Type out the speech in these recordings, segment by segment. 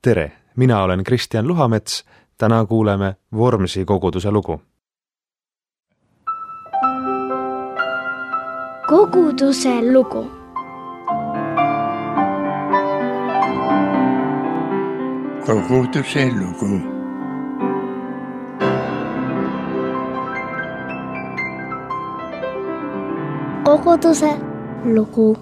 Tere, mina olen Kristjan Luhamets, täna kuuleme Vormsi koguduse lugu. Koguduse lugu. Koguduse lugu. Koguduse lugu.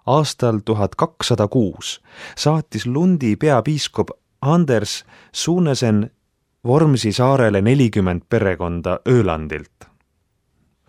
Aastal 1206 saatis Lundi peapiiskop Anders Sunesen Vormsi saarele 40 perekonda Ölandilt.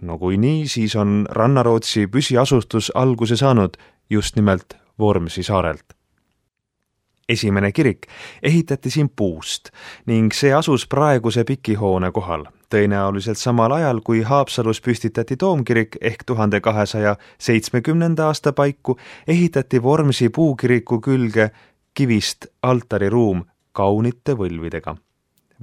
No kui nii, siis on Rannarootsi püsiasustus alguse saanud just nimelt Vormsi saarelt. Esimene kirik ehitati siin puust ning see asus praeguse Pikihoone kohal, tõenäoliselt samal ajal, kui Haapsalus püstitati toomkirik ehk 1270. aasta paiku ehitati Vormsi puukiriku külge kivist altariruum kaunite võlvidega.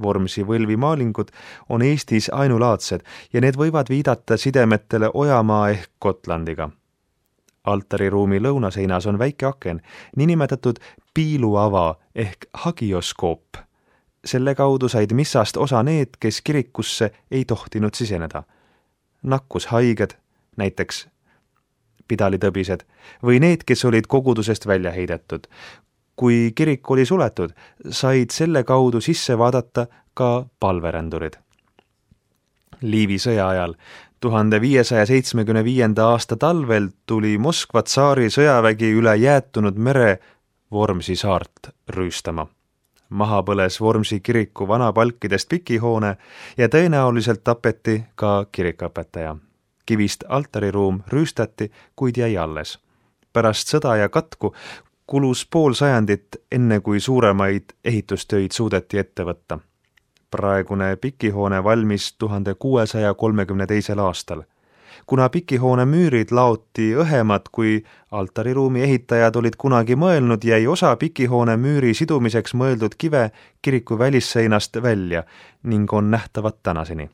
Vormsi võlvimaalingud on Eestis ainulaadsed ja need võivad viidata sidemetele Ojamaa ehk Gotlandiga. Altariruumi lõunaseinas on väike aken, niinimetatud piiluava ehk hagioskoop. Selle kaudu said missast osa need, kes kirikusse ei tohtinud siseneda. Nakkushaiged, näiteks pidalitõbised, või need, kes olid kogudusest välja heidetud. Kui kirik oli suletud, said selle kaudu sisse vaadata ka palverändurid. Liivi sõja ajal 1575. aasta talvel tuli Moskva tsaari sõjavägi üle jäätunud mere Vormsi saart rüüstama. Maha põles Vormsi kiriku vanapalkidest Pikihoone ja tõenäoliselt tapeti ka kirikuõpetaja. Kivist altariruum rüüstati, kuid jäi alles. Pärast sõda ja katku kulus pool sajandit, enne kui suuremaid ehitustöid suudeti ette võtta. Praegune Pikihoone valmis 1632. aastal. Kuna Pikihoone müürid laoti õhemad, kui altariruumi ehitajad olid kunagi mõelnud, jäi osa Pikihoone müüri sidumiseks mõeldud kive kiriku välisseinast välja ning on nähtavad tänaseni.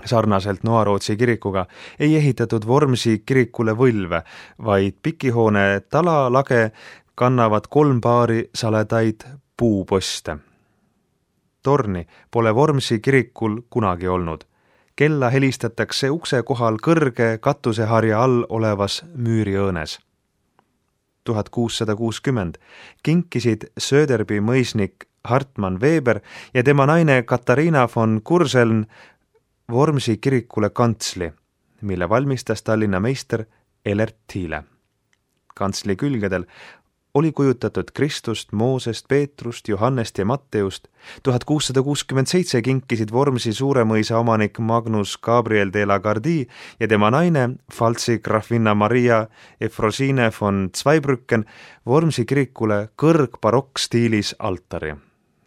Sarnaselt Noarootsi kirikuga ei ehitatud Vormsi kirikule võlve, vaid Pikihoone talalage kannavad 3 paari saledaid puuposte. Torni pole Vormsi kirikul kunagi olnud. Kella helistatakse ukse kohal kõrge katuseharja all olevas müüriõõnes. 1660 kinkisid Söderby mõisnik Hartmann Weber ja tema naine Katariina von Kurseln Vormsi kirikule kantsli, mille valmistas Tallinna meister Elert Thiele. Kantsli külgedel oli kujutatud Kristust, Moosest, Peetrust, Johannest ja Matteust. 1667 kinkisid Vormsi Suuremõisa omanik Magnus Gabriel de la Gardie ja tema naine Pfalzi grafinna Maria Efrosine von Zweibrücken Vormsi kirikule kõrgbarokkstiilis altari.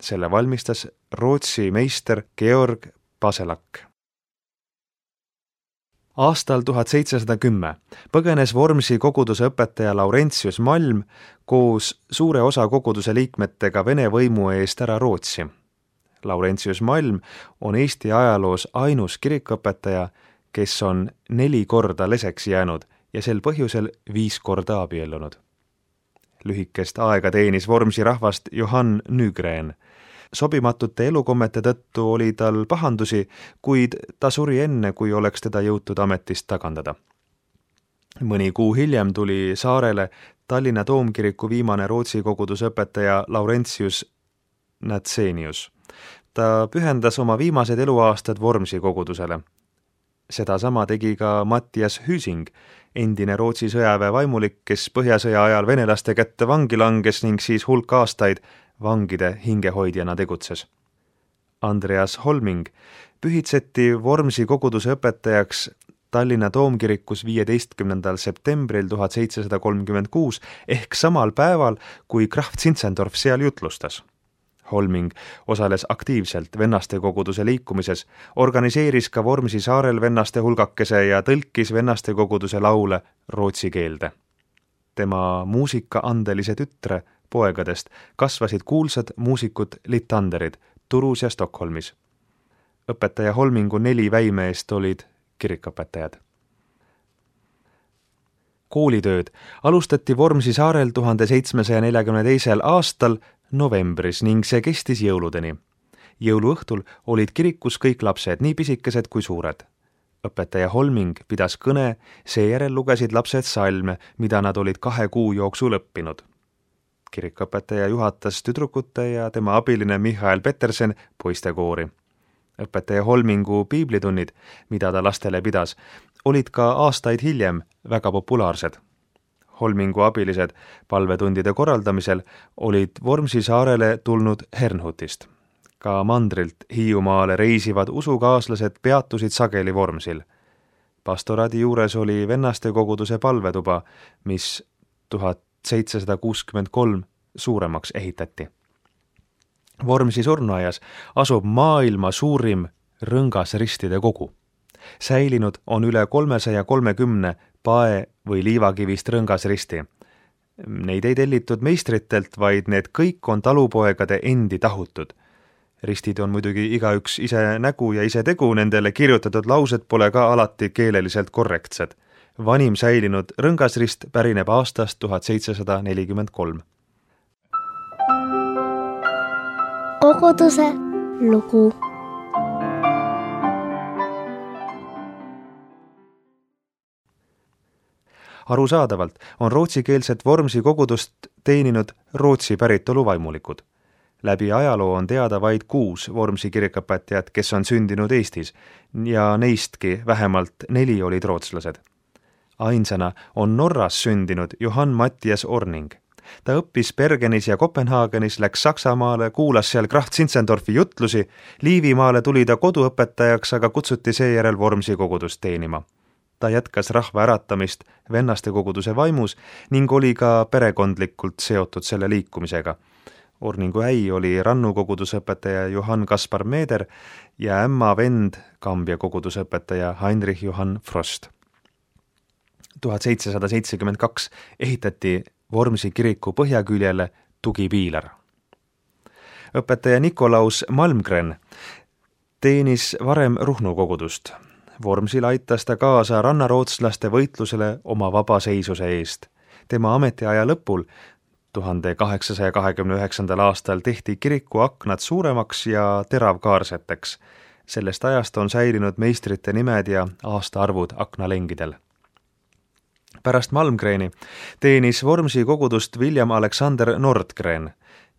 Selle valmistas Rootsi meister Georg Baselak. Aastal 1710 põgenes Vormsi koguduse õpetaja Laurentius Malm koos suure osa koguduse liikmetega Vene võimu eest ära Rootsi. Laurentius Malm on Eesti ajaloos ainus kirikuõpetaja, kes on 4 korda leseks jäänud ja sel põhjusel 5 korda abiellunud. Lühikest aega teenis Vormsi rahvast Johann Nygren. Sobimatute elukommete tõttu oli tal pahandusi, kuid ta suri enne, kui oleks teda jõutud ametist tagandada. Mõni kuu hiljem tuli saarele Tallinna toomkiriku viimane Rootsi koguduse õpetaja Laurentius Natsenius. Ta pühendas oma viimased eluaastad Vormsi kogudusele. Seda sama tegi ka Mattias Hüsing, endine Rootsi sõjaväe vaimulik, kes põhjasõja ajal venelaste kätte vangi langes ning siis hulk aastaid vangide hingehoidjana tegutses. Andreas Holming pühitseti Vormsi koguduse õpetajaks Tallinna toomkirikus 15. septembril 1736 ehk samal päeval, kui Graf Zinzendorf seal jutlustas. Holming osales aktiivselt vennaste koguduse liikumises, organiseeris ka Vormsi saarel vennaste hulgakese ja tõlkis vennaste koguduse laule rootsi keelde. Tema muusikaandelise tütre poegadest kasvasid kuulsad muusikud Litanderid Turus ja Stockholmis. Õpetaja Holmingu 4 väimeest olid kirikuõpetajad. koolitööd alustati Vormsi saarel 1742. aastal novembris ning see kestis jõuludeni. Jõuluõhtul olid kirikus kõik lapsed, nii pisikesed kui suured. Õpetaja Holming pidas kõne, seejärel lugesid lapsed salme, mida nad olid 2 kuu jooksul õppinud. Kirikuõpetaja juhatas tüdrukute ja tema abiline Michael Petersen poistekoori. Õpetaja Holmingu piiblitunnid, mida ta lastele pidas, olid ka aastaid hiljem väga populaarsed. Holmingu abilised palvetundide korraldamisel olid Vormsi saarele tulnud Hernhutist. Ka mandrilt Hiiumaale reisivad usukaaslased peatusid sageli Vormsil. Pastoraadi juures oli vennaste koguduse palvetuba, mis 1763 suuremaks ehitati. Vormsi surnuaias asub maailma suurim rõngasristide kogu. Säilinud on üle 330 pae- või liivakivist rõngasristi. Neid ei tellitud meistritelt, vaid need kõik on talupoegade endi tahutud. Ristid on muidugi igaüks ise nägu ja ise tegu, nendele kirjutatud laused pole ka alati keeleliselt korrektsed. Vanim säilinud rõngasrist pärineb aastast 1743. Koguduse lugu. Arusaadavalt on rootsikeelset Vormsi kogudust teeninud Rootsi päritolu vaimulikud. Läbi ajaloo on teada vaid 6 Vormsi kirikuõpetajat, kes on sündinud Eestis ja neistki vähemalt 4 olid rootslased. Ainsana on Norras sündinud Johann Mattias Orning. Ta õppis Bergenis ja Kopenhaagenis, läks Saksamaale, kuulas seal Krahv Zinzendorfi jutlusi, Liivimaale tuli ta koduõpetajaks, aga kutsuti seejärel Vormsi kogudust teenima. Ta jätkas rahva äratamist vennaste koguduse vaimus ning oli ka perekondlikult seotud selle liikumisega. Orningu äi oli Rannu kogudusõpetaja Johann Kaspar Meeder ja ämma vend Kambja kogudusõpetaja Heinrich Johann Frost. 1772 ehitati Vormsi kiriku põhjaküljele tugipiilar. Õpetaja Nikolaus Malmgren teenis varem Ruhnu kogudust. Vormsil aitas ta kaasa rannarootslaste võitlusele oma vabaseisuse eest. Tema ametiaja lõpul 1829. aastal tehti kiriku aknad suuremaks ja teravkaarseteks. Sellest ajast on säilinud meistrite nimed ja aastaarvud aknalengidel. Pärast Malmgreni teenis Vormsi kogudust William Alexander Nordgren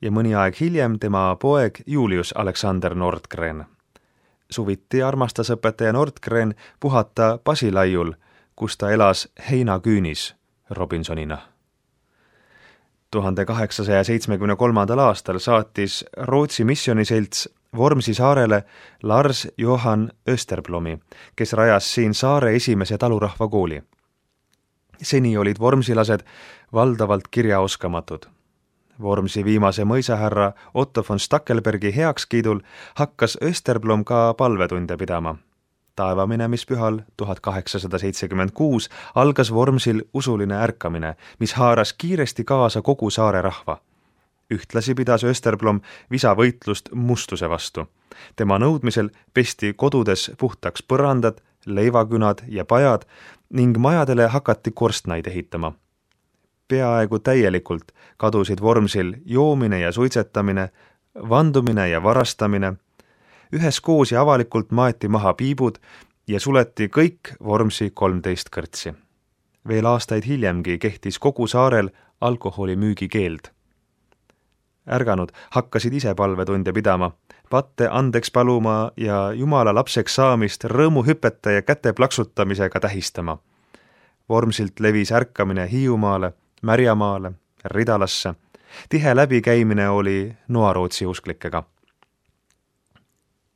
ja mõni aeg hiljem tema poeg Julius Alexander Nordgren. Suviti armastas õpetaja Nordgren puhata Pasilaiul, kus ta elas heinaküünis Robinsonina. 1873. aastal saatis Rootsi missioniselts Vormsi saarele Lars Johan Österblomi, kes rajas siin saare esimese talurahvakooli. Seni olid vormsilased valdavalt kirjaoskamatud. Vormsi viimase mõisahärra Otto von Stackelbergi heakskiidul hakkas Österblom ka palvetunde pidama. Taevaminemishpühal 1876 algas Vormsil usuline ärkamine, mis haaras kiiresti kaasa kogu saare rahva. Ühtlasi pidas Österblom visavõitlust mustuse vastu. Tema nõudmisel pesti kodudes puhtaks põrandad, leivakünad ja pajad ning majadele hakati korstnaid ehitama. Peaaegu täielikult kadusid Vormsil joomine ja suitsetamine, vandumine ja varastamine. Üheskoos ja avalikult maeti maha piibud ja suleti kõik Vormsi 13 kõrtsi. Veel aastaid hiljemgi kehtis kogu saarel alkoholimüügi keeld. Ärganud hakkasid ise palvetunde pidama, patte andeks paluma ja Jumala lapseks saamist rõõmuhüpete ja käte plaksutamisega tähistama. Vormsilt levis ärkamine Hiiumaale, Märjamaale, Ridalasse. Tihe läbikäimine oli noarootsi usklikega.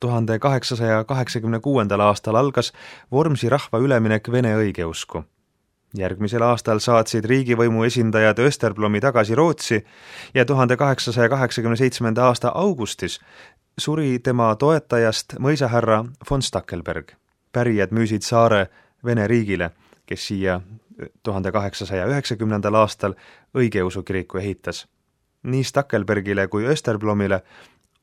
1886. aastal algas Vormsi rahva üleminek vene õigeusku. Järgmisel aastal saatsid riigivõimu esindajad Österblomi tagasi Rootsi ja 1887. aasta augustis suri tema toetajast mõisahärra von Stackelberg. Pärijad müüsid saare Vene riigile, kes siia 1890. aastal õigeusu kiriku ehitas. Nii Stackelbergile kui Österblomile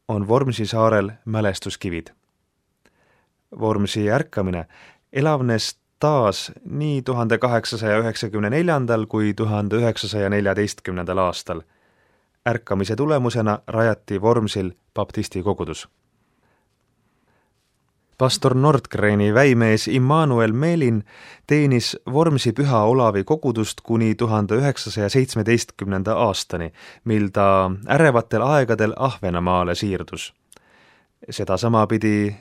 on Vormsi saarel mälestuskivid. Vormsi ärkamine elavnes taas nii 1894. kui 1914. aastal. Ärkamise tulemusena rajati Vormsil baptisti kogudus. Pastor Nordgreni väimees Immanuel Meelin teenis Vormsi Püha Olavi kogudust kuni 1917. aastani, mil ta ärevatel aegadel Ahvenamaale siirdus. Sedasama pidi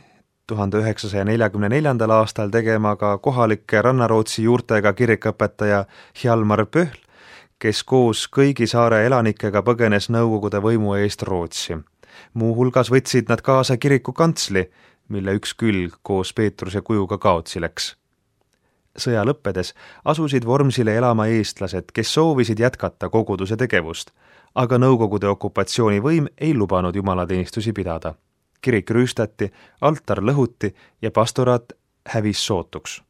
1944. aastal tegema ka kohalike Rannarootsi juurtega kirikõpetaja Hjalmar Pöhl, kes koos kõigi saare elanikega põgenes Nõukogude võimu eest Rootsi. Muuhulgas võtsid nad kaasa kiriku kantsli, mille üks külg koos Peetruse kujuga kaotsi läks. Sõja lõppedes asusid Vormsile elama eestlased, kes soovisid jätkata koguduse tegevust, aga Nõukogude okupatsioonivõim ei lubanud jumalateenistusi pidada. Kirik rüüstati, altar lõhuti ja pastoraat hävis sootuks.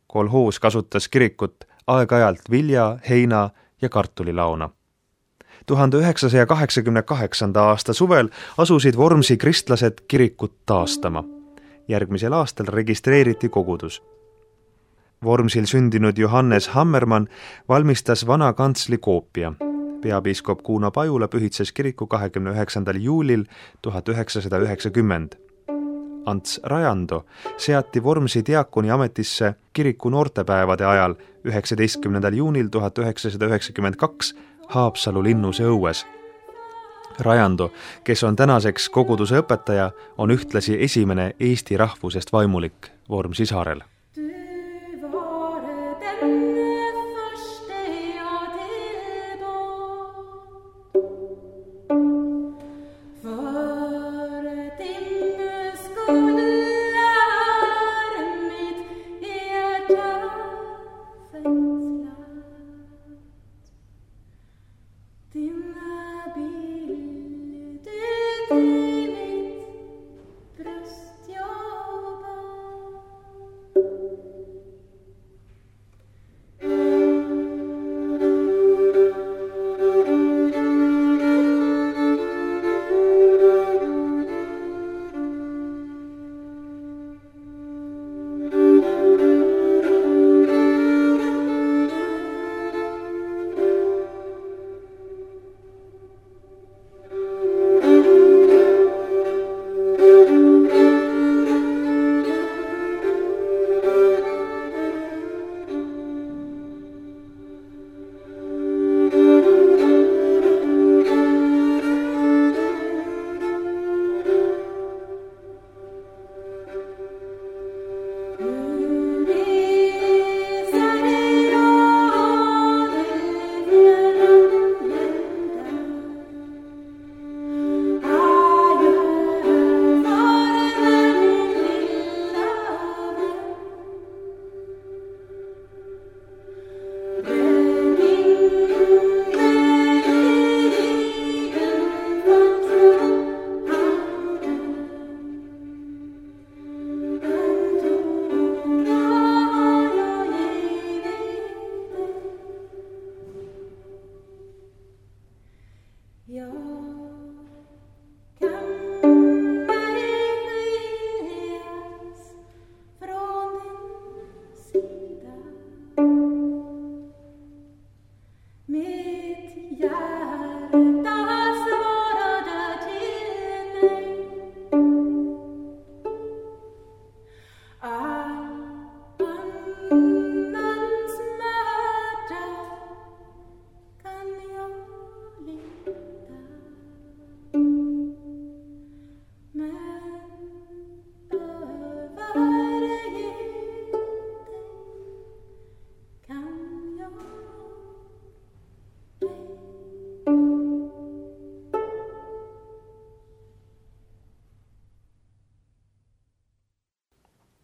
Kolhoos kasutas kirikut aeg-ajalt vilja, heina ja kartulilaona. 1988. aasta suvel asusid Vormsi kristlased kirikut taastama. Järgmisel aastal registreeriti kogudus. Vormsil sündinud Johannes Hammermann valmistas vana kantsli koopia. Peapiiskop Kuno Pajula pühitses kiriku 29. juulil 1990. Ants Rajando seati Vormsi diakoni ametisse kiriku noortepäevade ajal 19. juunil 1992 Haapsalu linnuse õues. Rajando, kes on tänaseks koguduse õpetaja, on ühtlasi esimene eesti rahvusest vaimulik Vormsi saarel.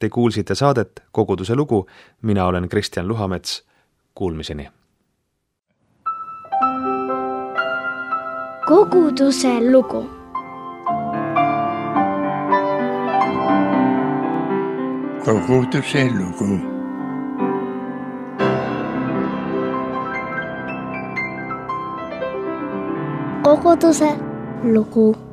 Te kuulsite saadet Koguduse lugu, mina olen Kristjan Luhamets, kuulmiseni. Koguduse lugu. Koguduse lugu. Koguduse lugu.